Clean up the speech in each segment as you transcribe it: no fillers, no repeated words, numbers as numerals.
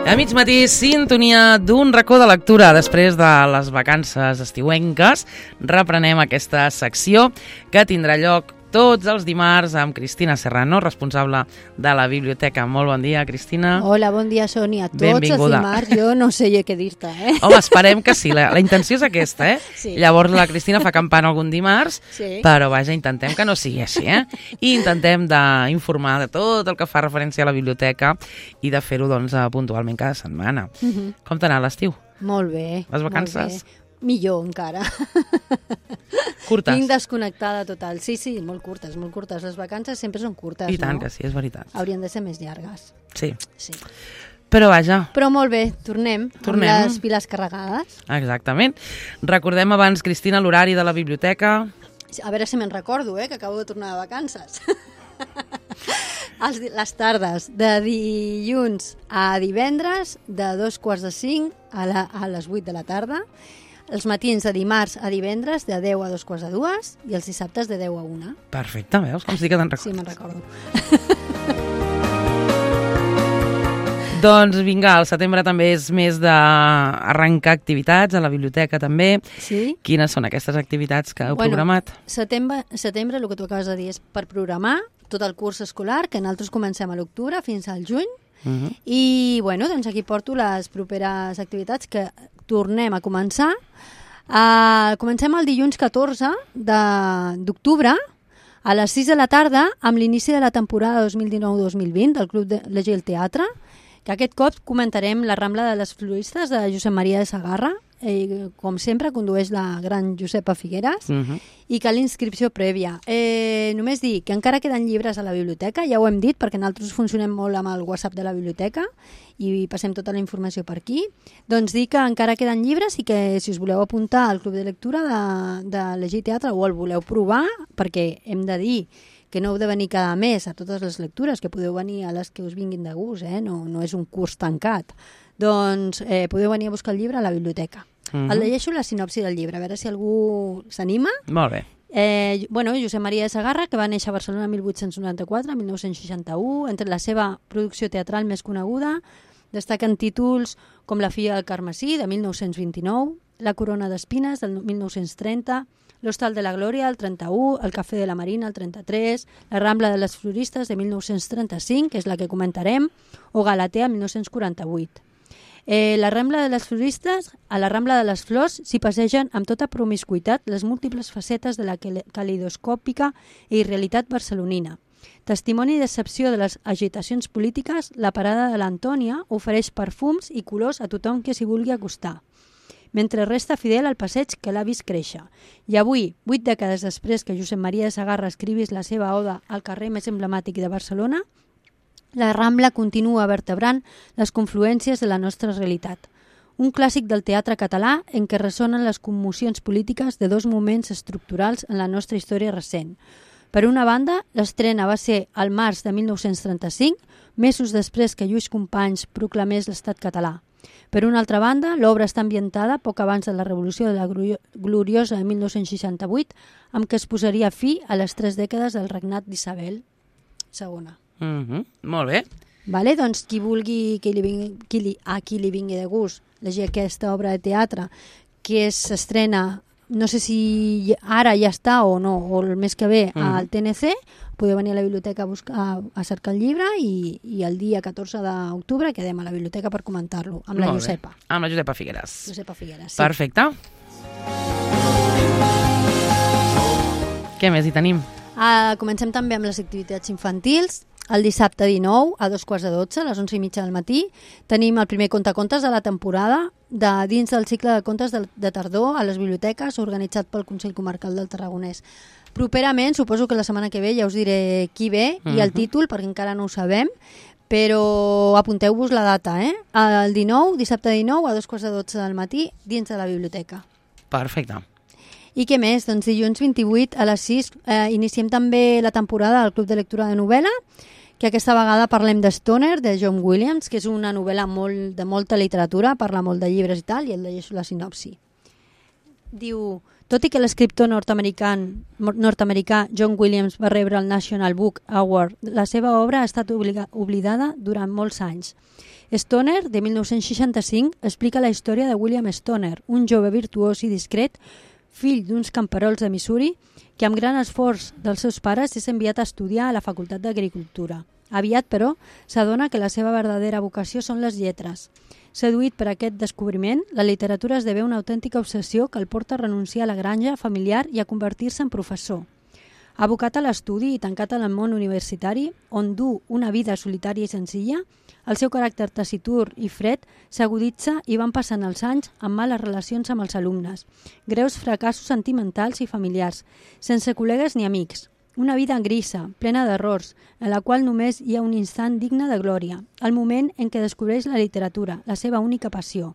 A mig matí, sintonia d'un racó de lectura. Després de les vacances estiuenques, reprenem aquesta secció que tindrà lloc tots els dimarts amb Cristina Serrano, responsable de la biblioteca. Molt bon dia, Cristina. Hola, bon dia, Sònia. Tots Benvinguda. els dimarts, jo no sé què dir-te, Home, esperem que sí. La intenció és aquesta, Sí. Llavors la Cristina fa campana algun dimarts, Sí. però vaja, intentem que no sigui així, I intentem d'informar de tot el que fa referència a la biblioteca i de fer-ho, doncs, puntualment cada setmana. Com t'ha anat l'estiu? Molt bé. Les vacances? Molt bé. Millor, encara. Curtes? Tinc desconnectada total. Sí, molt curtes, molt curtes. Les vacances sempre són curtes, I tant no? que sí, és veritat. Haurien de ser més llargues. Sí. Sí. Però vaja. Però molt bé, tornem. Amb les piles carregades. Exactament. Recordem abans, Cristina, l'horari de la biblioteca. A veure si me'n recordo, que acabo de tornar de vacances. Les tardes, de dilluns a divendres, de 2:45 a les 8 de la tarda. Els matins de dimarts a divendres, de 10 a 2:45, i els dissabtes de 10 a 1. Perfecte, veus? Com sí que te'n recordes. Sí, me'n recordo. Doncs vinga, el setembre també és més d'arrencar activitats a la biblioteca també. Sí. Quines són aquestes activitats que heu programat? Setembre, el que tu acabes de dir, és per programar tot el curs escolar, que nosaltres comencem a l'octubre fins al juny. I bueno, doncs aquí porto les properes activitats que tornem a començar. Comencem el dilluns 14 d'octubre a les 6 de la tarda amb l'inici de la temporada 2019-2020 del Club de Llegir el Teatre, que aquest cop comentarem La Rambla de les Floristes de Josep Maria de Sagarra. Com sempre condueix la gran Josepa Figueras, i cal inscripció prèvia. Només dir que encara queden llibres a la biblioteca, ja ho hem dit, perquè nosaltres funcionem molt amb el WhatsApp de la biblioteca i passem tota la informació per aquí. Doncs dir que encara queden llibres i que si us voleu apuntar al Club de Lectura de Llegir Teatre o el voleu provar, perquè hem de dir que no heu de venir cada mes a totes les lectures, que podeu venir a les que us vinguin de gust, no és un curs tancat. Doncs podeu venir a buscar el llibre a la biblioteca. El llegeixo la sinopsi del llibre, a veure si algú s'anima. Molt bé. Josep Maria de Sagarra, que va néixer a Barcelona el 1894-1961, entre la seva producció teatral més coneguda destaquen títols com La filla del Carmesí, de 1929, La corona d'espines, del 1930, L'hostal de la Glòria, el 31, El cafè de la Marina, el 33, La rambla de les floristes, de 1935, que és la que comentarem, o Galatea, 1948. La Rambla de les Floristes, a la Rambla de les Flors s'hi passegen amb tota promiscuitat les múltiples facetes de la calidoscòpica i realitat barcelonina. Testimoni i decepció de les agitacions polítiques, la parada de l'Antònia ofereix perfums i colors a tothom que s'hi vulgui acostar, mentre resta fidel al passeig que l'ha vist créixer. I avui, 8 dècades després que Josep Maria de Sagarra escrivís la seva oda al carrer més emblemàtic de Barcelona, la Rambla continua vertebrant les confluències de la nostra realitat. Un clàssic del teatre català en què ressonen les commocions polítiques de dos moments estructurals en la nostra història recent. Per una banda, l'estrena va ser al març de 1935, mesos després que Lluís Companys proclamés l'estat català. Per una altra banda, l'obra està ambientada poc abans de la Revolució de la Gloriosa de 1968, amb què es posaria fi a les 3 dècades del regnat d'Isabel II. Molt bé. Vale, doncs qui vulgui, qui li vingui de gust llegir aquesta obra de teatre que s'estrena, no sé si ara ja està o no, o el mes que ve al TNC, podeu venir a la biblioteca a cercar el llibre i el dia 14 d'octubre quedem a la biblioteca per comentar-lo amb la Josepa. Amb la Josepa Figueras. Josepa Figueras, sí. Perfecte. Què més hi tenim? Comencem també amb les activitats infantils. El dissabte 19 a 11:45, a les 11:30 del matí, tenim el primer contacontes de la temporada dins del cicle de contes de tardor a les biblioteques organitzat pel Consell Comarcal del Tarragonès. Properament, suposo que la setmana que ve ja us diré qui ve i el títol, perquè encara no ho sabem, però apunteu-vos la data, El 19, dissabte 19 a 11:45 del matí dins de la biblioteca. Perfecte. I què més? Doncs dilluns 28 a les 6 iniciem també la temporada del Club de Lectura de Novel·la, que aquesta vegada parlem de Stoner, de John Williams, que és una novel·la de molta literatura, parla molt de llibres i tal, i el llegeixo la sinopsi. Diu: tot i que l'escriptor nord-americà John Williams va rebre el National Book Award, la seva obra ha estat oblidada durant molts anys. Stoner, de 1965, explica la història de William Stoner, un jove virtuós i discret, fill d'uns camperols de Missouri, que amb gran esforç dels seus pares és enviat a estudiar a la Facultat d'Agricultura. Aviat, però, s'adona que la seva verdadera vocació són les lletres. Seduït per aquest descobriment, la literatura esdevé una autèntica obsessió que el porta a renunciar a la granja familiar i a convertir-se en professor. Abocat a l'estudi i tancat en el món universitari, on du una vida solitària i senzilla, el seu caràcter taciturn i fred s'aguditza i van passant els anys amb males relacions amb els alumnes, greus fracassos sentimentals i familiars, sense col·legues ni amics. Una vida grisa, plena d'errors, en la qual només hi ha un instant digne de glòria, el moment en què descobreix la literatura, la seva única passió.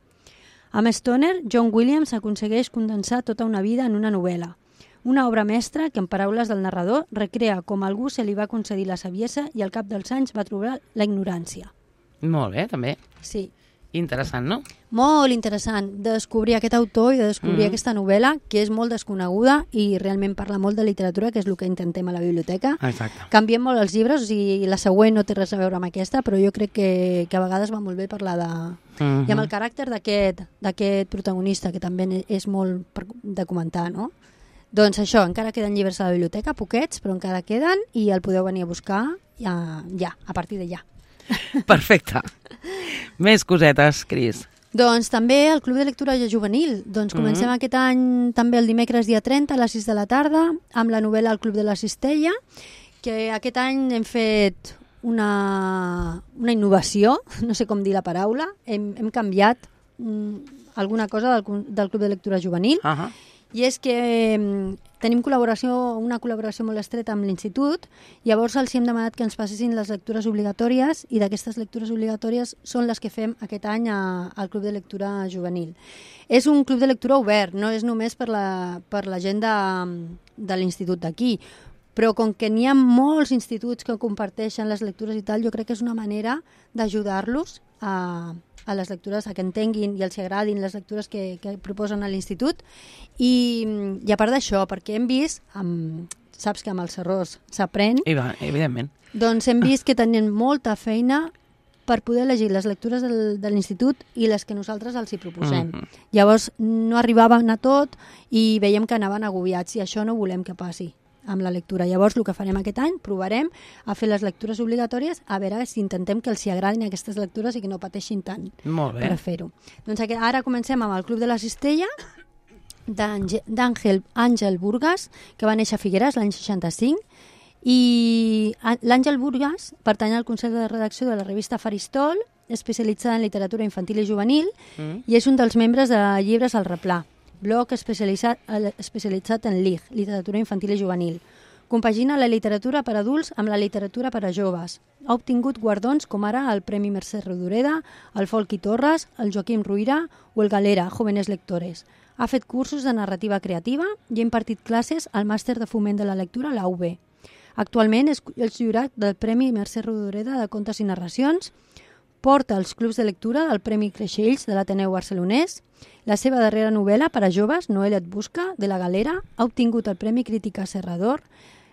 Amb Stoner, John Williams aconsegueix condensar tota una vida en una novel·la. Una obra mestra que, en paraules del narrador, recrea com a algú se li va concedir la saviesa i al cap dels anys va trobar la ignorància. Molt bé, també. Sí. Interessant, no? Molt interessant de descobrir aquest autor i de descobrir aquesta novel·la, que és molt desconeguda i realment parla molt de literatura, que és el que intentem a la biblioteca. Exacte. Canviem molt els llibres, o sigui, la següent no té res a veure amb aquesta, però jo crec que a vegades va molt bé parlar de... I amb el caràcter d'aquest protagonista, que també és molt de comentar, no? Doncs això, encara queden llibres a la biblioteca, poquets, però encara queden i el podeu venir a buscar ja, a partir de ja. Perfecte. Més cosetes, Cris. Doncs també el Club de Lectura Juvenil. Doncs comencem aquest any també el dimecres dia 30 a les 6 de la tarda amb la novel·la El Club de la Cistella, que aquest any hem fet una innovació, no sé com dir la paraula, hem canviat alguna cosa del Club de Lectura Juvenil. I és que tenim una col·laboració molt estreta amb l'Institut, llavors els hem demanat que ens passessin les lectures obligatòries i d'aquestes lectures obligatòries són les que fem aquest any al Club de Lectura Juvenil. És un club de lectura obert, no és només per la gent de l'Institut d'aquí, però com que n'hi ha molts instituts que comparteixen les lectures i tal, jo crec que és una manera d'ajudar-los a les lectures, a que entenguin i els agradin les lectures que proposen a l'Institut i a part d'això, perquè hem vist, saps que amb els errors s'aprèn, evidentment, doncs hem vist que tenen molta feina per poder elegir les lectures de l'Institut i les que nosaltres els hi proposem. Llavors no arribaven a tot i veiem que anaven agobiats i això no volem que passi amb la lectura. Llavors el que farem aquest any, provarem a fer les lectures obligatòries, a veure si intentem que els hi agradin aquestes lectures i que no pateixin tant per fer-ho. Doncs ara comencem amb el Club de la Cistella d'Àngel Burgas, que va néixer a Figueres l'any 65, i l'Àngel Burgas pertany al Consell de Redacció de la revista Faristol, especialitzada en literatura infantil i juvenil, i és un dels membres de Llibres al Replà, blog especialitzat en LIG, literatura infantil i juvenil. Compagina la literatura per adults amb la literatura per a joves. Ha obtingut guardons com ara el Premi Mercè Rodoreda, el Folchi Torres, el Joaquim Ruïra o el Galera, Jóvenes Lectores. Ha fet cursos de narrativa creativa i ha impartit classes al Màster de Foment de la Lectura a la UB. Actualment és el jurat del Premi Mercè Rodoreda de Contes i Narracions, porta els clubs de lectura del Premi Creixells de l'Ateneu Barcelonès. La seva darrera novel·la per a joves, Noelia et busca, de la Galera, ha obtingut el Premi Crítica Serrador,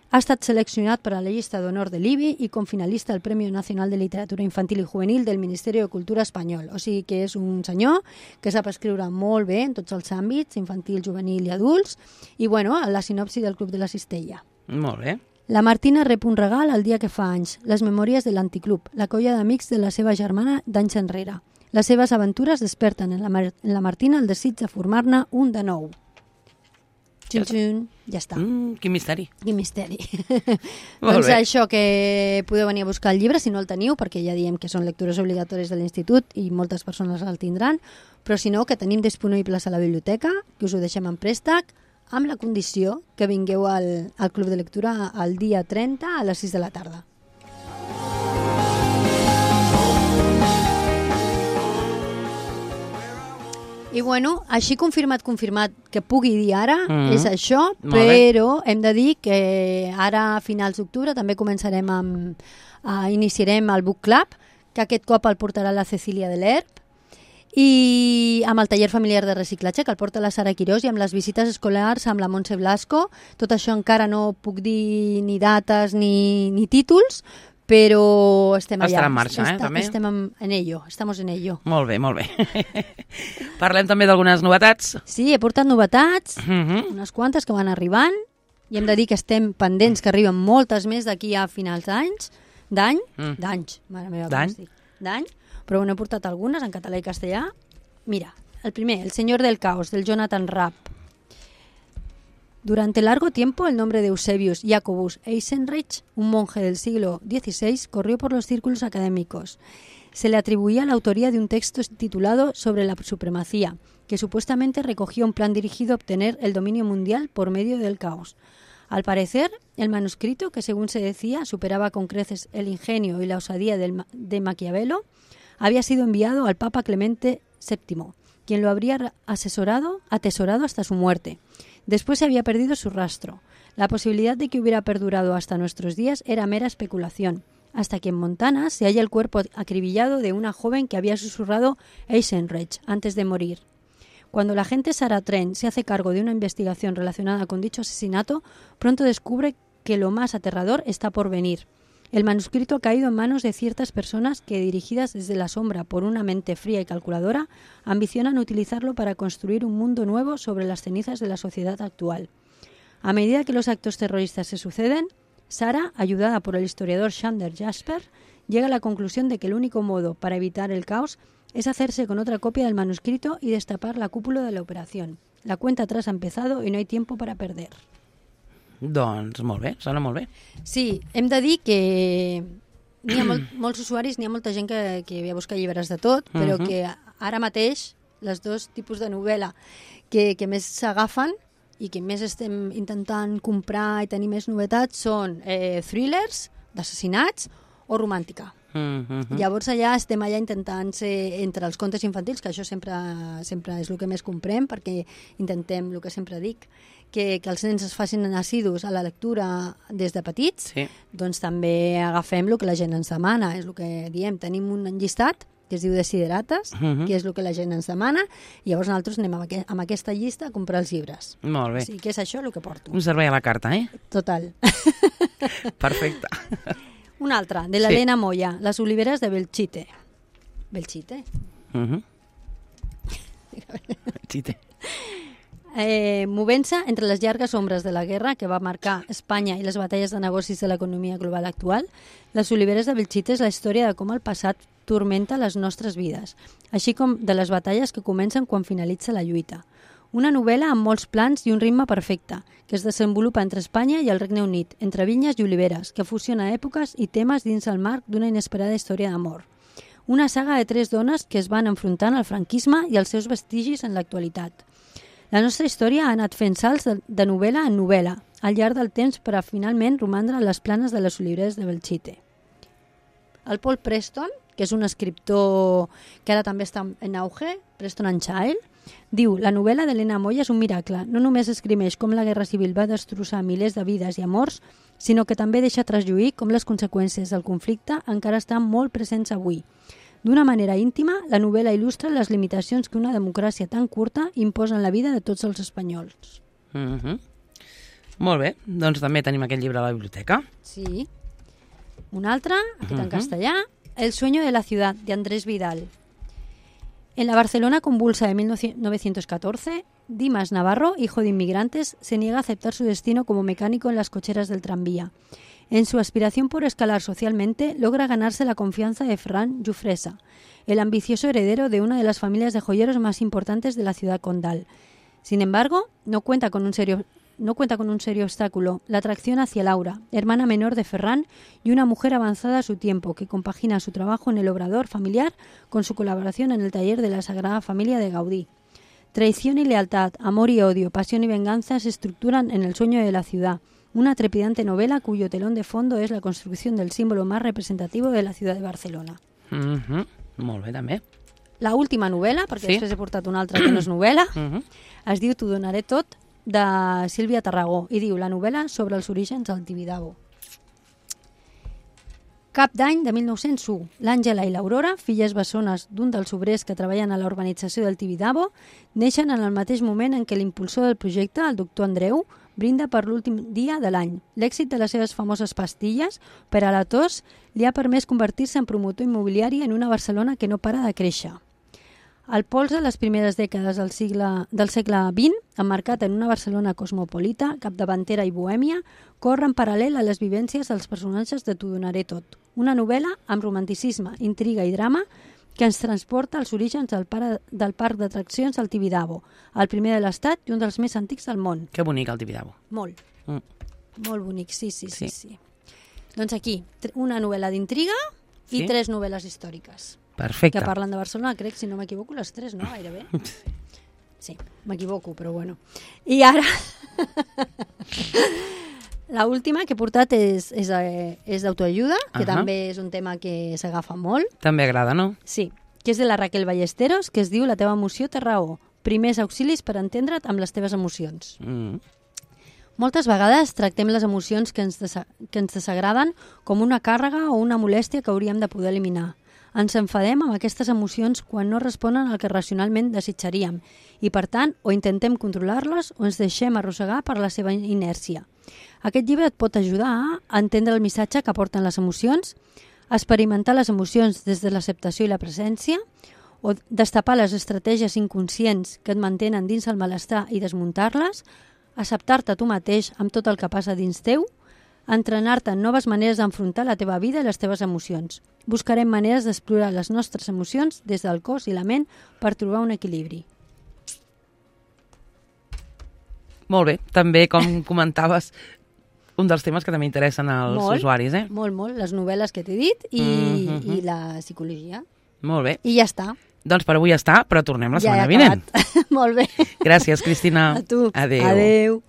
ha estat seleccionat per a la llista d'honor de l'IBI i com finalista al Premi Nacional de Literatura Infantil i Juvenil del Ministeri de Cultura espanyol. O sigui que és un senyor que sap escriure molt bé en tots els àmbits, infantil, juvenil i adults, i bueno, la sinopsi del Club de la Cistella. Molt bé. La Martina rep un regal el dia que fa anys, les memòries de l'Anticlub, la colla d'amics de la seva germana d'anys enrere. Les seves aventures desperten en la Martina el desig de formar-ne un de nou. Xun, ja està. Quin misteri. Quin misteri. Doncs això, que podeu venir a buscar el llibre si no el teniu, perquè ja diem que són lectures obligatòries de l'Institut i moltes persones el tindran, però si no, que tenim disponibles a la biblioteca, que us ho deixem en préstec, amb la condició que vingueu al Club de Lectura el dia 30 a les 6 de la tarda. I bueno, així confirmat que pugui dir ara, és això, però hem de dir que ara a finals d'octubre també començarem iniciarem el Book Club, que aquest cop el portarà la Cecília de l'Herb, i amb el taller familiar de reciclatge que el porta la Sara Quirós i amb les visites escolars amb la Montse Blasco. Tot això encara no puc dir ni dates ni títols, Però estem allà. Estarà en marxa, també? Estem en ello, estamos en ello. Molt bé, molt bé. Parlem també d'algunes novetats. Sí, he portat novetats, unes quantes que van arribant, i hem de dir que estem pendents que arriben moltes més d'aquí a finals d'any, mare meva, d'any, però n'he portat algunes en català i castellà. Mira, el primer, El Señor del Caos, del Jonathan Rapp. Durante largo tiempo el nombre de Eusebius Jacobus Eisenreich, un monje del siglo XVI, corrió por los círculos académicos. Se le atribuía la autoría de un texto titulado Sobre la supremacía, que supuestamente recogía un plan dirigido a obtener el dominio mundial por medio del caos. Al parecer, el manuscrito, que según se decía superaba con creces el ingenio y la osadía de Maquiavelo, había sido enviado al Papa Clemente VII, quien lo habría atesorado hasta su muerte. Después se había perdido su rastro. La posibilidad de que hubiera perdurado hasta nuestros días era mera especulación, hasta que en Montana se halla el cuerpo acribillado de una joven que había susurrado Eisenreich antes de morir. Cuando la agente Sarah Trent se hace cargo de una investigación relacionada con dicho asesinato, pronto descubre que lo más aterrador está por venir. El manuscrito ha caído en manos de ciertas personas que, dirigidas desde la sombra por una mente fría y calculadora, ambicionan utilizarlo para construir un mundo nuevo sobre las cenizas de la sociedad actual. A medida que los actos terroristas se suceden, Sarah, ayudada por el historiador Xander Jasper, llega a la conclusión de que el único modo para evitar el caos es hacerse con otra copia del manuscrito y destapar la cúpula de la operación. La cuenta atrás ha empezado y no hay tiempo para perder. Doncs molt bé, sona molt bé. Sí, hem de dir que n'hi ha molts usuaris, n'hi ha molta gent que ve a buscar llibres de tot, però que ara mateix les dos tipus de novel·la que més s'agafen i que més estem intentant comprar i tenir més novetats són thrillers, d'assassinats o romàntica. Llavors allà estem allà intentant ser entre els contes infantils, que això sempre és el que més comprem, perquè intentem, el que sempre dic, que els nens es facin assidus a la lectura des de petits, sí. Doncs també agafem el que la gent ens demana, és el que diem, tenim un llistat que es diu Desiderates, que és el que la gent ens demana, i llavors nosaltres anem amb aquesta llista a comprar els llibres. Molt bé. O sigui, que és això el que porto. Un servei a la carta, Total. Perfecte. Un altre, de l'Helena Moya, Les oliveres de Belchite. Belchite? Belchite. Movent-se entre les llargues ombres de la guerra que va marcar Espanya i les batalles de negocis de l'economia global actual, Les oliveres de Belchite és la història de com el passat turmenta les nostres vides, així com de les batalles que comencen quan finalitza la lluita. Una novel·la amb molts plans i un ritme perfecte, que es desenvolupa entre Espanya i el Regne Unit, entre vinyes i oliveres, que fusiona èpoques i temes dins el marc d'una inesperada història d'amor. Una saga de 3 dones que es van enfrontant al franquisme i els seus vestigis en l'actualitat. La nostra història ha anat fent salts de novel·la en novel·la, al llarg del temps per a finalment romandre a les planes de les oliveres de Belchite. El Paul Preston, que és un escriptor que ara també està en auge, Preston and Child, diu: la novel·la d'Helena Moya és un miracle. No només esgrimeix com la Guerra Civil va destrossar milers de vides i amors, sinó que també deixa traslluir com les conseqüències del conflicte encara estan molt presents avui. D'una manera íntima, la novel·la il·lustra les limitacions que una democràcia tan curta imposa en la vida de tots els espanyols. Molt bé, doncs també tenim aquest llibre a la biblioteca. Sí. Un altre, aquest en castellà, El sueño de la ciudad, de Andrés Vidal. En la Barcelona convulsa de 1914, Dimas Navarro, hijo de inmigrantes, se niega a aceptar su destino como mecánico en las cocheras del tranvía. En su aspiración por escalar socialmente, logra ganarse la confianza de Ferran Jufresa, el ambicioso heredero de una de las familias de joyeros más importantes de la ciudad condal. Sin embargo, no cuenta con un serio obstáculo: la atracción hacia Laura, hermana menor de Ferran y una mujer avanzada a su tiempo, que compagina su trabajo en el obrador familiar con su colaboración en el taller de la Sagrada Familia de Gaudí. Traición y lealtad, amor y odio, pasión y venganza se estructuran en El sueño de la ciudad, una trepidante novela cuyo telón de fondo es la construcción del símbolo más representativo de la ciudad de Barcelona. Molt bé, també. La última novel·la, perquè després he portat una altra que no és novel·la, es diu T'ho donaré tot, de Sílvia Tarragó, i diu: la novel·la sobre els orígens del Tibidabo. Cap d'any de 1901, l'Àngela i l'Aurora, filles bessones d'un dels obrers que treballen a la urbanització del Tibidabo, neixen en el mateix moment en què l'impulsor del projecte, el doctor Andreu, brinda per l'últim dia de l'any. L'èxit de les seves famoses pastilles per a la tos li ha permès convertir-se en promotor immobiliari en una Barcelona que no para de créixer. El pols de les primeres dècades del segle XX, emmarcat en una Barcelona cosmopolita, capdavantera i bohèmia, corre en paral·lel a les vivències dels personatges de T'ho donaré tot. Una novel·la amb romanticisme, intriga i drama que ens transporta als orígens del parc d'atraccions del Tibidabo, el primer de l'Estat i un dels més antics del món. Que bonic el Tibidabo. Molt. Molt bonic, sí. Doncs aquí, una novel·la d'intriga i 3 novel·les històriques. Perfecte. Que parlen de Barcelona, crec, si no m'equivoco, les 3, no? Gairebé. Sí, m'equivoco, però bueno. I ara... L'última que he portat és d'autoajuda, que també és un tema que s'agafa molt. També agrada, no? Sí, que és de la Raquel Ballesteros, que es diu La teva emoció té raó. Primers auxilis per entendre't amb les teves emocions. Moltes vegades tractem les emocions que ens desagraden com una càrrega o una molèstia que hauríem de poder eliminar. Ens enfadem amb aquestes emocions quan no responen al que racionalment desitjaríem i, per tant, o intentem controlar-les o ens deixem arrossegar per la seva inèrcia. Aquest llibre et pot ajudar a entendre el missatge que aporten les emocions, a experimentar les emocions des de l'acceptació i la presència, o destapar les estratègies inconscients que et mantenen dins el malestar i desmuntar-les, acceptar-te tu mateix amb tot el que passa dins teu, entrenar-te en noves maneres d'enfrontar la teva vida i les teves emocions. Buscarem maneres d'explorar les nostres emocions des del cos i la ment per trobar un equilibri. Molt bé. També, com comentaves, un dels temes que també interessen als usuaris, eh? Molt. Les novel·les que t'he dit i la psicologia. Molt bé. I ja està. Doncs per avui ja està, però tornem la setmana vinent. Molt bé. Gràcies, Cristina. A tu. Adéu. Adéu.